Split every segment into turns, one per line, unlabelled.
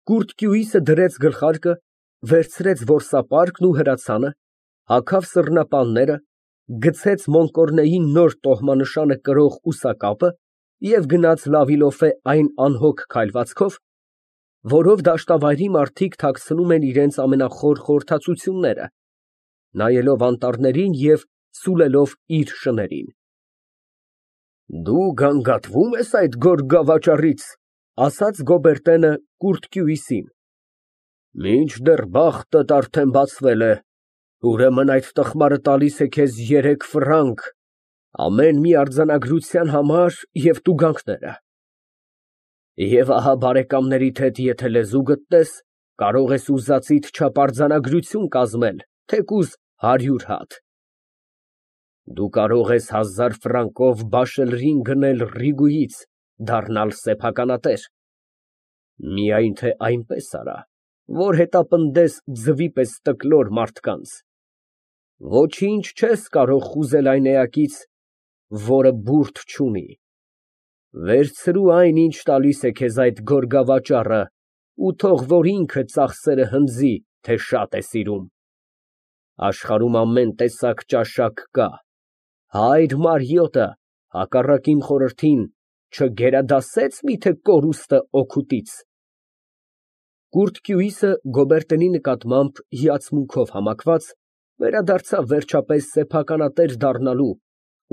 Կուրծքյուիսը դրեց գլխարկը, վերցրեց որսապարկն ու հրացանը, հագավ սռնապանները, գցեց մոնկորնեին նոր տոհմանշանը կրող ուսակապը և գնաց լավիլոֆե այն անհոգ քայլվածքով, որով դաշտավայրի մարդիկ թաքցնում են իրենց ամենախոր խորհրդածությունները, նայելով անտառներին և սուլելով իր շներին։ Դու գանգատվո՞ւմ ես այդ գորգավաճառից, ասաց Գոբերտենը Կուրծքյուիսին։ Մինչդեռ բախտդ արդեն բացվել է, ուրեմն այդ տխմարը տալիս է քեզ 3 ֆրանկ, ամեն մի արձանագրության համար և տուգանքները։ Եվ ահա բարեկամներիդ հետ եթե լեզու գտնես, կարող ես ուզածիդ չափ արձանագրություն կազմել, թեկուզ 100 հատ։ Դու կարող ես 1000 ֆրանկով բաշելրին գնել Ռիգուից, դառնալ սեփականատեր, միայն թե այնպես արա, որ հետապնդես ձվի պես տկլոր մարդկանց, ոչինչ չես կարող խուզել այն էակից, որը բուրդ չունի, վերցրու այն, ինչ տալիս է քեզ այդ գորգավաճառը ու թող որ ինքը ծախսերը հնձի, թե շատ է սիրում, աշխարհում ամեն տեսակ ճաշակ կա, հայր Մարիոտը, հակառակ իմ խորհրդին, չգերադասեց միթե կորուստը օգուտից։ Կուրծքյուիսը Գոբերտենի նկատմամբ հիացմունքով համակված, վերադարձավ վերջապես սեփականատեր դառնալու,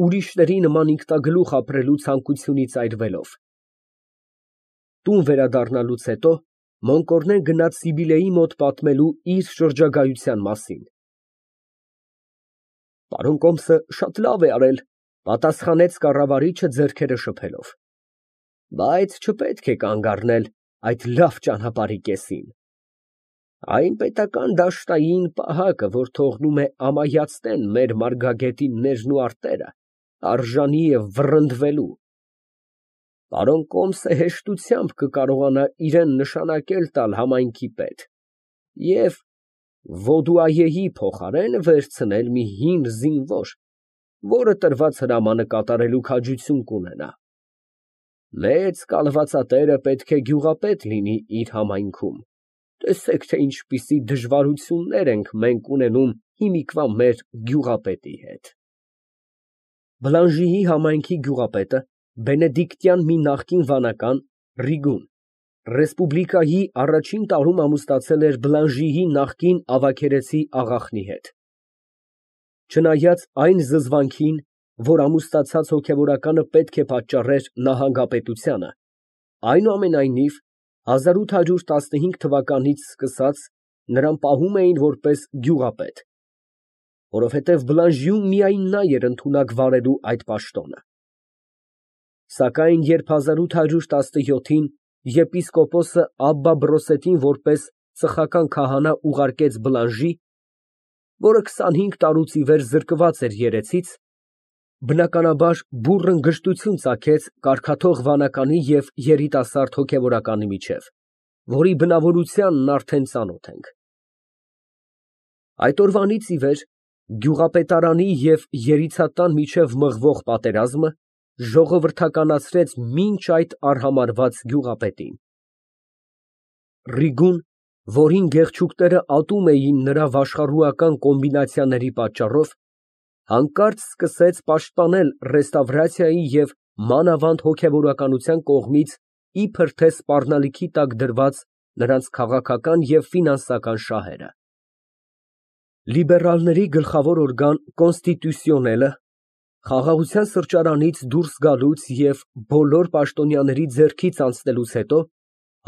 ուրիշների նման ինքնագլուխ ապրելու ցանկությունից այրվելով։ Տուն վերադառնալուց հետո Մոնկորնեն գնաց Սիբիլեի մոտ պատմելու իր շրջագայության մասին։ Պարոն Կոմսը շատ լավ է արել, պատասխանեց կառավարիչը ձեռքերը շփելով, բայց չպետք է կանգ առնել այդ լավ ճանապարհի կեսին։ Այն պետական դաշտային պահակը, որ թողնում է ամայացնեն մեր մարգագետիններն ու արտերը, արժանի է վռնդվելու։ Պարոն Կոմսը հեշտությամբ կկարողանա իրան նշանակել տալ համայնքի պետ և Վոդուայեի փոխարեն վերցնել մի հին զինվոր, որը տրված հրամանը կատարելու քաջություն կունենա։ Մեծ կալվածատերը պետք է գյուղապետ լինի իր համայնքում, տեսեք, թե ինչպիսի դժվարություններ ենք մենք ունենում հիմիկվա մեր գյուղապետի հետ։ Բլանժիի համայնքի գյուղապետը բենեդիկտյան մի նախկին վանական Ռիգուն, ռեսպուբլիկայի առաջին տարում ամուսնացել էր Բլանժիի նախկին ավագերեսի աղախնի հետ։ Չնայած այն զզվանքին, որ ամուսնացած հոգևորականը պետք է պատճառեր նահանգապետությանը, այնուամենայնիվ 1815 թվականից սկսած նրան պահում էին որպես գյուղապետ, որովհետև Բլանժիում միայն նա էր ընդունակ վարելու այդ պաշտոնը։ Սակայն երբ 1817-ին եպիսկոպոսը Աբբա Բրոսետին որպես ծխական քահանա ուղարկեց Բլանժի, որը 25 տարուց ի վեր զրկված էր երեցից, բնականաբար բուռն գժտություն ծագեց կարգաթող վանականի և երիտասարդ հոգևորականի միջև, որի բնավորությանն արդեն ծանոթ ենք։ Այդ օրվանից ի վեր գյուղապետարանի և երիցատան միջև մղվող պատերազմը ժողովրդականացրեց մինչ այդ արհամարհված գյուղապետին։ Ռիգուն, որին գեղչուկները ատում էին նրա վաշխառուական կոմբինացիաների պատճառով, հանկարծ սկսեց պաշտպանել ռեստավրացիայի և մանավանդ հոգևորականության կողմից իբր թե սպառնալիքի տակ դրված նրանց քաղաքական և ֆինանսական շահերը։ Լիբերալների գլխավոր օրգան Կոնստիտուսիոնելը խաղաղության սրճարանից դուրս գալուց և բոլոր պաշտոնյաների ձեռքից անցնելուց հետո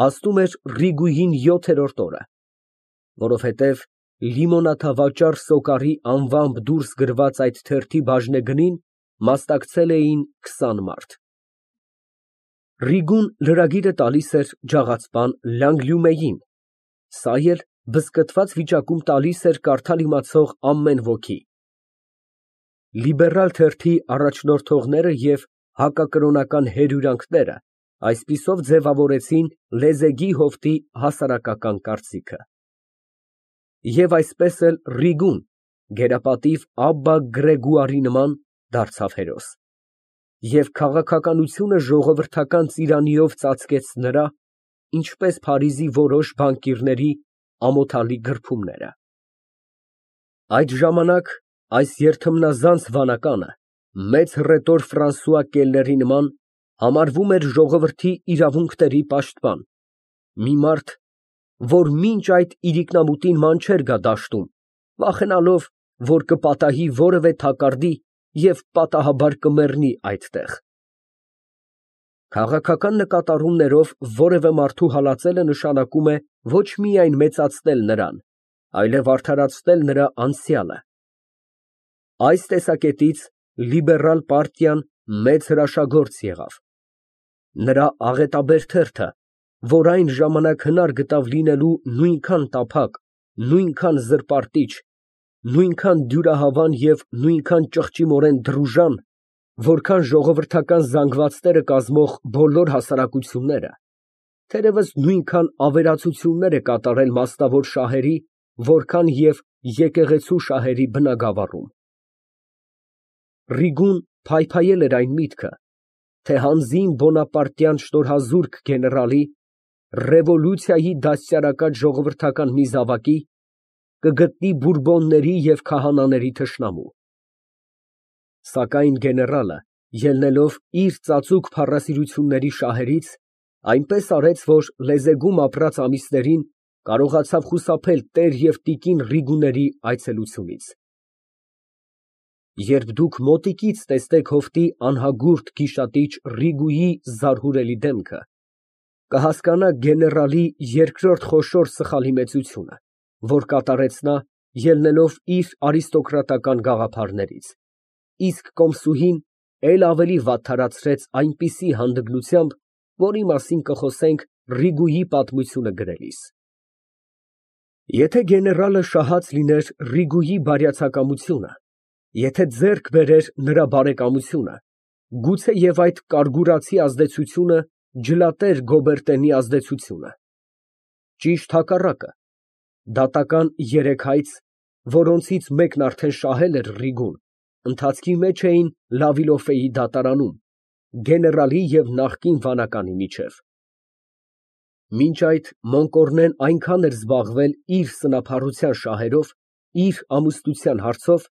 հասնում էր Ռիգուին 7-րդ օրը, որովհետև լիմոնադավաճառ Սոկարի անվամբ դուրս գրված այդ թերթի բաժնեգնին մասնակցել էին 20 մարդ։ Ռիգուն լրագիրը տալիս էր ջաղացպան Լանգլյումեին, սա էլ բզկտված վիճակում տալիս էր կարդալ իմացող ամեն ոքի։ Լիբերալ թերթի առաջնորդողները և հակակրոնական հերյուրանքները այսպիսով ձևավորեցին լեզեգի հովտի հասարակական կարծիքը։ Եվ այսպես էլ Ռիգուն, գերապատիվ Աբբա Գրեգուարի նման, դարձավ հերոս, և քաղաքականությունը ժողովրդական ծիրանիով ծածկեց նրա, ինչպես Փարիզի որոշ բանկիրների ամոթալի գրփումները։ Այդ ժամանակ այս երթմնազանց վանականը մեծ հռետոր Ֆրանսուଆ Կելների նման համարվում էր ժողովրդի իրավունքների պաշտպան, մի մարդ, որ մինչ այդ իրիկնամուտին ման չէր գա դաշտում, վախենալով, որ կպատահի որևէ թակարդի և պատահաբար կմեռնի այդտեղ։ Քաղաքական նկատառումներով որևէ մարդու հալածելը նշանակում է ոչ միայն մեծացնել նրան, այլև արդարացնել նրա անցյալը։ Այս տեսակետից լիբերալ պարտիան մեծ հրաշագործ եղավ։ Նրա աղետաբեր թերթը, որ այն ժամանակ հնար գտավ լինելու նույնքան տափակ, նույնքան զրպարտիչ, նույնքան դյուրահավան և նույնքան ճղճիմորեն դրուժան, որքան ժողովրդական զանգվածները կազմող բոլոր հասարակությունները, թերևս նույնքան ավերածություններ է կատարել մասնավոր շահերի, որքան և եկեղեցու շահերի բնագավառում։ Ռիգուն փայփայել էր այն միտքը, թե հանձին բոնապարտյան շնորհազուրկ գեներալի, ռևոլյուցիայի դաստիարակած ժողովրդական մի զավակի կգտնի բուրբոնների և քահանաների թշնամու։ Սակայն գեներալը, ելնելով իր ծածուկ փառասիրությունների շահերից, այնպես արեց, որ լեզեգում ապրած ամիսներին կարողացավ խուսափել տեր և տիկին Ռիգուների այցելությունից։ Երբ դուք մոտիկից տեսնեք հովտի անհագուրդ գիշատիչ Ռիգուի զարհուրելի դեմքը, կհասկանաք գեներալի երկրորդ խոշոր սխալի մեծությունը, որ կատարեց նա, ելնելով իր արիստոկրատական գաղափարներից, իսկ կոմսուհին էլ ավելի վատթարացրեց այնպիսի հանդգնությամբ, որի մասին կխոսենք Ռիգուի պատմությունը գրելիս։ Եթե գեներալը շահած լիներ Ռիգուի բարյացակամությունը, եթե ձեռք բերեր նրա բարեկամությունը, գուցեև այդ կարգուրացի ազդեցությունը ջլատեր Գոբերտենի ազդեցությունը։ Ճիշտ հակառակը, դատական երեք հայց, որոնցից մեկն արդեն շահել էր Ռիգուն, ընթացքի մեջ էին Լավիլոֆեի դատարանում, գեներալի և նախկին վանականի միջև։ Մինչ այդ Մոնկորնեն այնքան էր զբաղվել իր սնափառության շահերով, իր ամուսնության հարցով,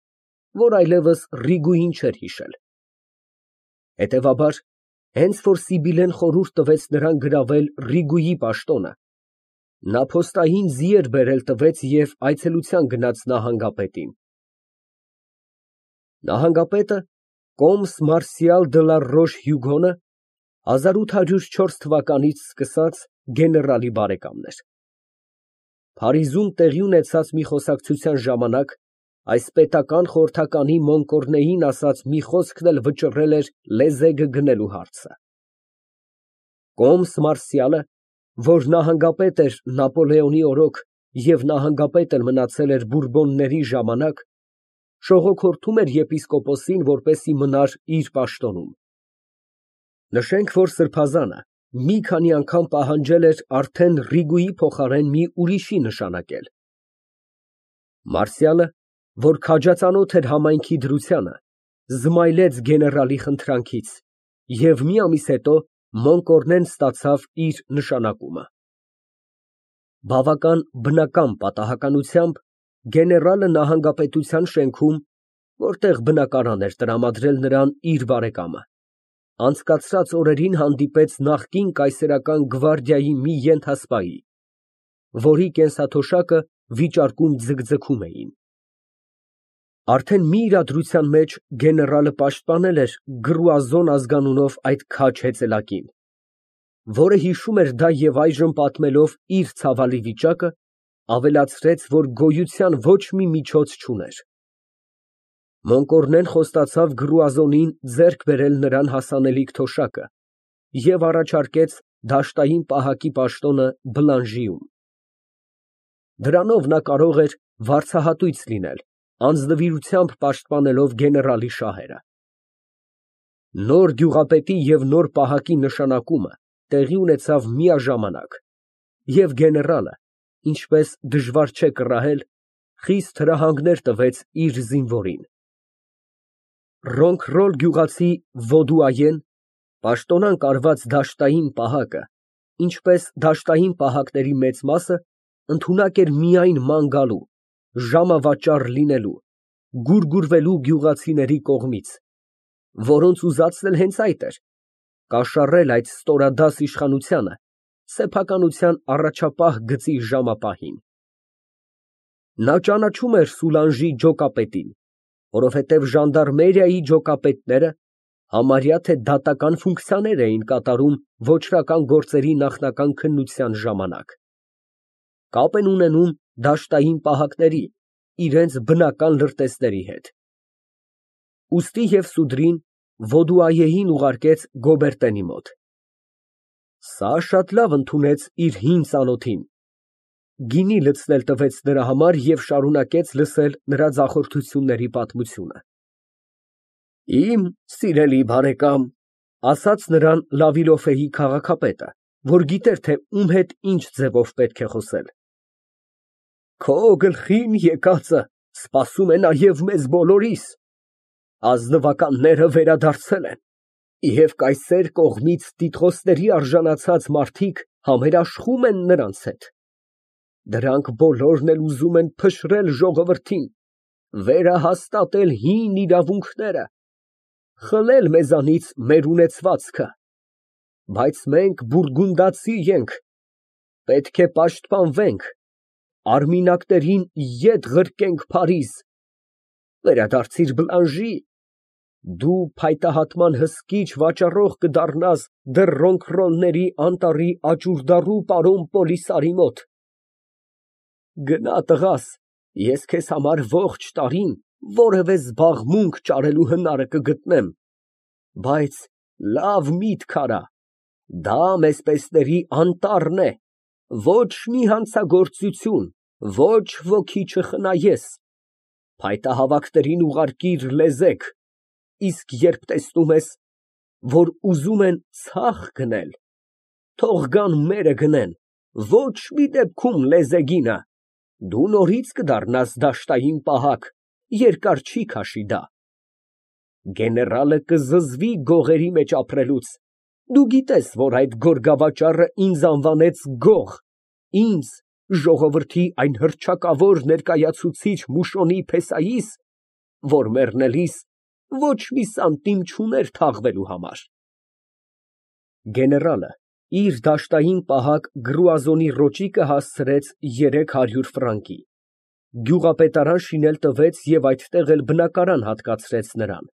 որ այլևս Ռիգուին չէր հիշել։ Հետևաբար, հենց որ Սիբիլեն խորհուրդ տվեց նրան գրավել Ռիգուի պաշտոնը, նա փոստային ձիեր բերել տվեց և այցելության գնաց նահանգապետին։ Նահանգապետը կոմս Մարսիալ դը լա Ռոշ֊Հյուգոնը 1804 թվականից սկսած գեներալի բարեկամն էր։ Փարիզում տեղի ունեցած մի խոսակցության ժամանակ այս պետական խորհրդականի Մոնկորնեին ասած մի խոսքն էլ վճռել էր լեզեգը գնելու հարցը։ Կոմս Մարսիալը, որ նահանգապետ էր Նապոլեոնի օրոք և նահանգապետ էլ մնացել էր Բուրբոնների ժամանակ, շողոքորթում էր եպիսկոպոսին, որպեսզի մնար իր պաշտոնում։ Նշենք, որ սրբազանը մի քանի անգամ պահանջել էր արդեն Ռիգուի փոխարեն մի ուրիշի նշանակել։ Մարսիալը, որ քաջածանոթ էր համայնքի դրությանը, զմայլեց գեներալի խնդրանքից և մի ամիս հետո Մոնկորնեն ստացավ իր նշանակումը։ Բավական բնական պատահականությամբ գեներալը նահանգապետության շենքում, որտեղ բնակարան էր տրամադրել նրան իր բարեկամը, անցկացրած օրերին հանդիպեց նախկին կայսերական գվարդիայի մի ենթասպայի, որի կենսաթոշակը վիճարկում ձգձգում էին։ Արդեն մի իրադրության մեջ գեներալը պաշտպանել էր Գրուազոն ազգանունով այդ քաջ հեծելակին, որը հիշում էր դա և այժմ պատմելով իր ցավալի վիճակը, ավելացրեց, որ գոյության ոչ մի միջոց չուներ։ Մոնկորնեն խոստացավ Գրուազոնին ձեռք բերել նրան հասանելիք թոշակը և առաջարկեց դաշտային պահակի պաշտոնը Բլանժիում։ Դրանով նա կարող էր վարձահատույց լինել, անձնվիրությամբ պաշտպանելով գեներալի շահերը։ Նոր գյուղապետի և նոր պահակի նշանակումը տեղի ունեցավ միաժամանակ, և գեներալը, ինչպես դժվար չէ կռահել, խիստ հրահանգներ տվեց իր զինվորին։ Ռոնքռոլ գյուղացի Վոդուայեն, պաշտոնանկ արված դաշտային պահակը, ինչպես դաշտային պահակների մեծ մասը, ընդունակ էր միայն ման գալու, ժամավաճառ լինելու, գուրգուրվելու գյուղացիների կողմից, որոնց ուզածն էլ հենց այդ էր, կաշառել այդ ստորադաս իշխանությանը սեփականության առաջապահ գծի ժամապահին։ Նա ճանաչում էր Սուլանժի ջոկապետին, որովհետև ժանդարմերիայի ջոկապետները համարյա թե դատական ֆունկցիաներ էին կատարում ոճրական գործերի նախնական քննության ժամանակ, կապ են ունենում դաշտային պահակների, իրենց բնական լրտեսների հետ։ Ուստի և Սուդրին Ոդուայեին ուղարկեց Գոբերտենի մոտ։ Սա շատ լավ ընդունեց իր հին ծանոթին, գինի լցնել տվեց նրա համար և շարունակեց լսել նրա ձախորդությունների պատմությունը։ Իմ սիրելի բարեկամ, ասաց նրան Լավիլոֆեի քաղաքապետը, որ գիտեր, թե ում հետ ինչ ձևով պետք է խոսել, քո գլխին եկածը սպասում է նաև մեզ բոլորիս, ազնվականները վերադարձել են, և կայսեր կողմից տիտղոսների արժանացած մարդիկ համերաշխում են նրանց հետ, դրանք բոլորն էլ ուզում են փշրել ժողովրդին, վերահաստատել հին իրավունքները, խլել մեզանից մեր ունեցվածքը, բայց մենք բուրգունդացի ենք, պետք է պաշտպանվենք, արմինակներին ետ ղրկենք Փարիզ, վերադարձիր Բլանժի, դու փայտահատման հսկիչ վաճառող կդառնաս դեռ Ռոնքրոնների անտառի աճուրդառու պարոն Պոլիսարի մոտ, գնա տղաս, ես քեզ համար ողջ տարին որևէ զբաղմունք ճարելու հնարը կգտնեմ, բայց լավ միտք արա, դա մեզ պես անտառն է, ոչ մի հանցագործություն, ոչ ոքի չխնայես, փայտահավաքներին ուղարկիր լեզեկ, իսկ երբ տեսնում ես, որ ուզում են ցախ գնել, թող գան մերը գնեն, ոչ մի դեպքում լեզեգինը, դու նորից կդառնաս դաշտային պահակ, երկար չի քաշի դա։ Գեներալը կզզվի գողերի մեջ ապրելուց, դու գիտես, որ այդ գորգավաճառը ինձ անվանեց գող, ինձ, ժողովրդի այն հռչակավոր ներկայացուցիչ Մուշոնի Փեսայիս, որ մեռնելիս ոչ մի սանտիմ չուներ թաղվելու համար։ Գեներալը իր դաշտային պահակ Գրուազոնի ռոճիկը հասցրեց 300 ֆրանկի, գյուղապետարան շինել տվեց և այդտեղ էլ բնակարան հատկացրեց նրան,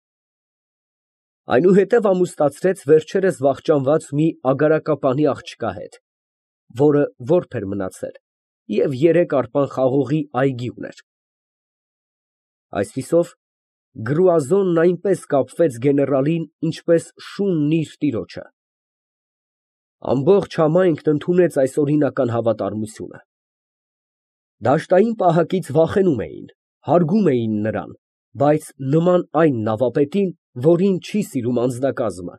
այնուհետև ամուսնացրեց վերջերս վախճանված մի ագարակապանի աղջկա հետ, որը որբ էր մնացել և 3 արպան խաղողի այգի ուներ։ Այսպիսով, Գրուազոնն այնպես կապվեց գեներալին, ինչպես շունն իր տիրոջը։ Ամբողջ համայնքն ընդունեց այս օրինական հավատարմությունը։ Դաշտային պահակից վախենում էին, հարգում էին նրան, բայց նման այն նավապետին, որին չի սիրում անձնակազմը,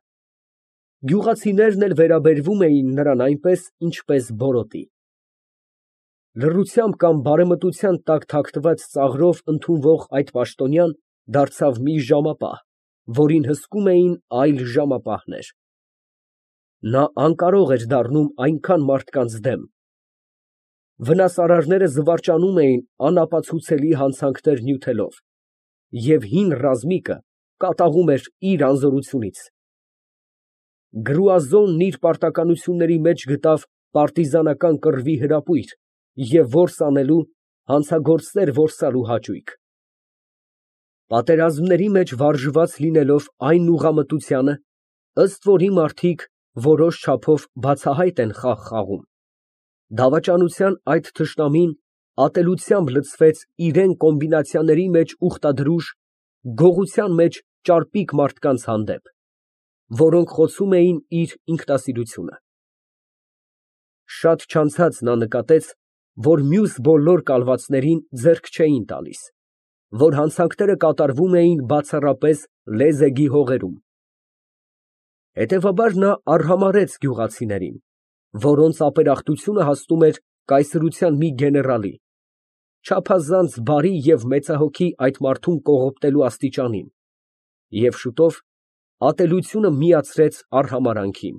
գյուղացիներն էլ վերաբերվում էին նրան այնպես, ինչպես բորոտի։ Լռությամբ կամ բարեմտության տակ թաքնված ծաղրով ընդունվող այդ պաշտոնյան դարձավ մի ժամապահ, որին հսկում էին այլ ժամապահներ։ Նա անկարող էր դառնում այնքան մարդկանց դեմ։ Վնասարարները զվարճանում էին անապացուցելի հանցանքներ նյութելով, և հին ռազմիկը կատաղում էր իր անզորությունից։ Գրուազոնն իր պարտականությունների մեջ գտավ պարտիզանական կռվի հրապույր և որս անելու, հանցագործներ որսալու հաճույք։ Պատերազմների մեջ վարժված լինելով այն ուղղամտությանը, ըստ որի մարդիկ որոշ չափով բացահայտ են խաղ խաղում, դավաճանության այդ թշնամին ատելությամբ լցվեց իրան կոմբինացիաների մեջ ուխտադրուժ, գողության մեջ ճարպիկ մարդկանց հանդեպ, որոնք խոցում էին իր ինքնասիրությունը։ Շատ չանցած նա նկատեց, որ մյուս բոլոր կալվածներին ձեռք չէին տալիս, որ հանցանքները կատարվում էին բացառապես լեզեգի հողերում։ Հետևաբար նա արհամարհեց գյուղացիներին, որոնց ապերախտությունը հասնում էր կայսրության մի գեներալի, չափազանց բարի և մեծահոգի այդ մարդուն կողոպտելու աստիճանին, և շուտով ատելությունը միացրեց արհամարհանքին։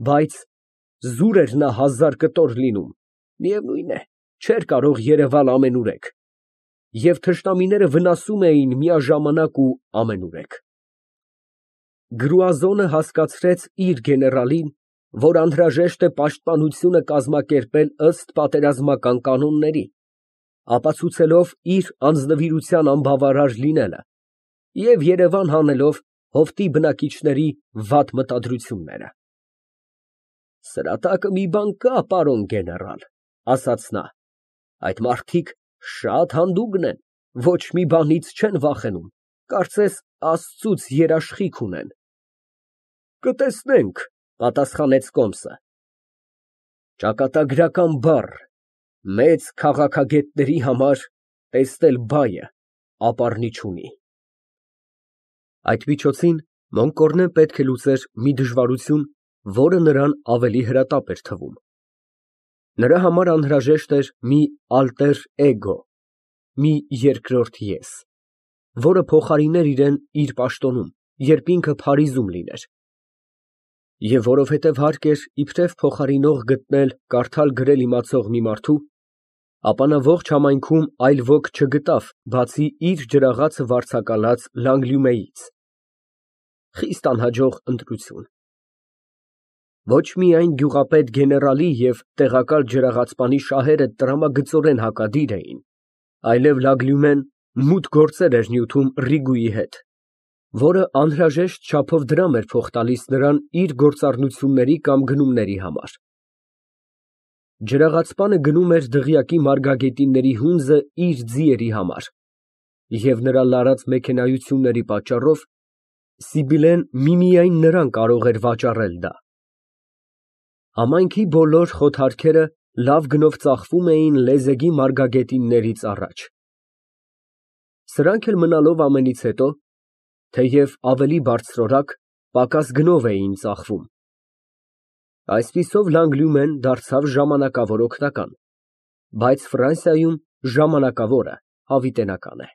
Բայց զուր էր նա հազար կտոր լինում, միևնույն է, չէր կարող երևալ ամենուրեք, և թշնամիները վնասում էին միաժամանակ ու ամենուրեք։ Գրուազոնը հասկացրեց իր գեներալին, որ անհրաժեշտ է պաշտպանությունը կազմակերպել ըստ պատերազմական կանոնների, ապացուցելով իր անձնվիրության անբավարար լինելը և երևան հանելով հովտի բնակիչների վատ մտադրությունները։ Սրատակը մի բան կա, պարոն գեներալ, ասաց նա, այդ մարդիկ շատ հանդուգն են, ոչ մի բանից չեն վախենում, կարծես Աստծուց երաշխիք ունեն։ Կտեսնենք, պատասխանեց Կոմսը։ Ճակատագրական բառ, մեծ քաղաքագետների համար տեսնել բայը ապառնի չունի։ Այդ միջոցին Մոնկորնեն պետք է լուծեր մի դժվարություն, որը նրան ավելի հրատապ էր թվում։ Նրա համար անհրաժեշտ էր մի ալտեր էգո, մի երկրորդ ես, որը փոխարիներ իրեն իր պաշտոնում, երբ ինքը Փարիզում լիներ։ Եվ որովհետև հարկ էր իբրև փոխարինող գտնել կարդալ֊գրել իմացող մի մարդու, ապա նա ողջ համայնքում այլ ոք չգտավ, բացի իր ջրաղացը վարձակալած Լանգլյումեից։ Խիստ անհաջող ընտրություն։ Ոչ միայն գյուղապետ գեներալի և տեղակալ ջրաղացպանի շահերը տրամագծորեն հակադիր էին, այլև Լագլյումեն մութ գործեր էր նյութում Ռիգուի հետ, որը անհրաժեշտ չափով դրամ էր փոխ տալիս նրան իր գործառնությունների կամ գնումների համար։ Ջրաղացպանը գնում էր դղյակի մարգագետինների հունձը իր ձիերի համար, և նրա լարած մեքենայությունների պատճառով Սիբիլեն միմիայն նրան կարող էր վաճառել դա։ Համայնքի բոլոր խոթարքերը լավ գնով ծախվում էին լեզեգի մարգագետիններից առաջ։ Սրանք էլ մնալով ամենից հետո, թեև ավելի բարձրորակ, պակաս գնով էին ծախվում։ Այսպիսով Լանգլյումեն դարձավ ժամանակավոր օգնական, բայց Ֆրանսիայում ժամանակավորը հավիտենական է,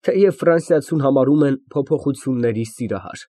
թեև ֆրանսիացուն համարում են փոփոխությունների սիրահար։